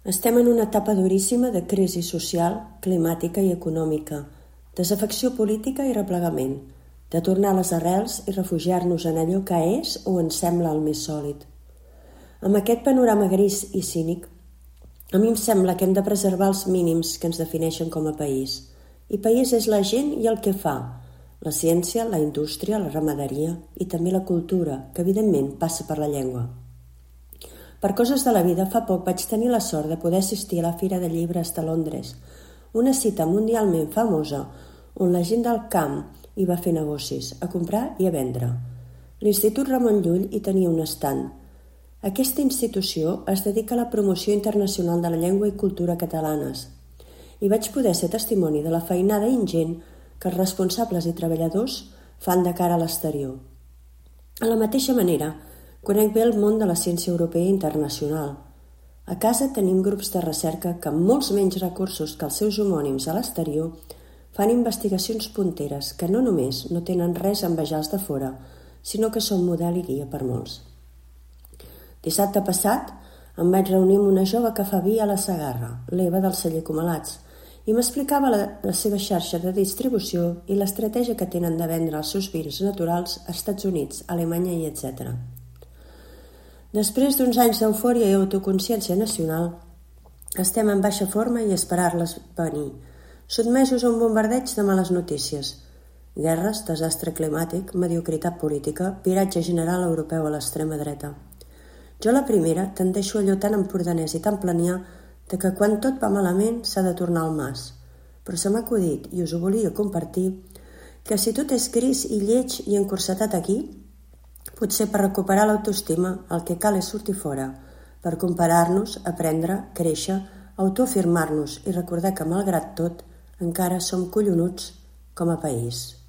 Estem en una etapa duríssima de crisi social, climàtica i econòmica, desafecció política i replegament, de tornar a les arrels i refugiar-nos en allò que és o ens sembla el més sòlid. Amb aquest panorama gris i cínic, a mi em sembla que hem de preservar els mínims que ens defineixen com a país. I país és la gent i el que fa, la ciència, la indústria, la ramaderia i també la cultura, que evidentment passa per la llengua. Per coses de la vida, fa poc vaig tenir la sort de poder assistir a la Fira de Llibres de Londres, una cita mundialment famosa on la gent del camp hi va fer negocis, a comprar i a vendre. L'Institut Ramon Llull hi tenia un estand. Aquesta institució es dedica a la promoció internacional de la llengua i cultura catalanes i vaig poder ser testimoni de la feinada ingent que els responsables i treballadors fan de cara a l'exterior. A la mateixa manera, conec bé el món de la ciència europea i internacional. A casa tenim grups de recerca que amb molts menys recursos que els seus homònims a l'exterior fan investigacions punteres que no només no tenen res a envejar els de fora, sinó que són model i guia per molts. Dissabte passat em vaig reunir amb una jove que fa vi a la Segarra, l'Eva del celler Comalats, i m'explicava la seva xarxa de distribució i l'estratègia que tenen de vendre els seus vins naturals als Estats Units, Alemanya i etc. Després d'uns anys d'eufòria i autoconsciència nacional, estem en baixa forma i esperar-les venir, sotmesos a un bombardeig de males notícies. Guerres, desastre climàtic, mediocritat política, viratge general europeu a l'extrema dreta. Jo la primera tendeixo allò tan empordanès i tan planià de que quan tot va malament s'ha de tornar al mas. Però se m'ha acudit, i us ho volia compartir, que si tot és gris i lleig i encursetat aquí, potser per recuperar l'autoestima el que cal és sortir fora, per comparar-nos, aprendre, créixer, autoafirmar-nos i recordar que malgrat tot encara som collonuts com a país.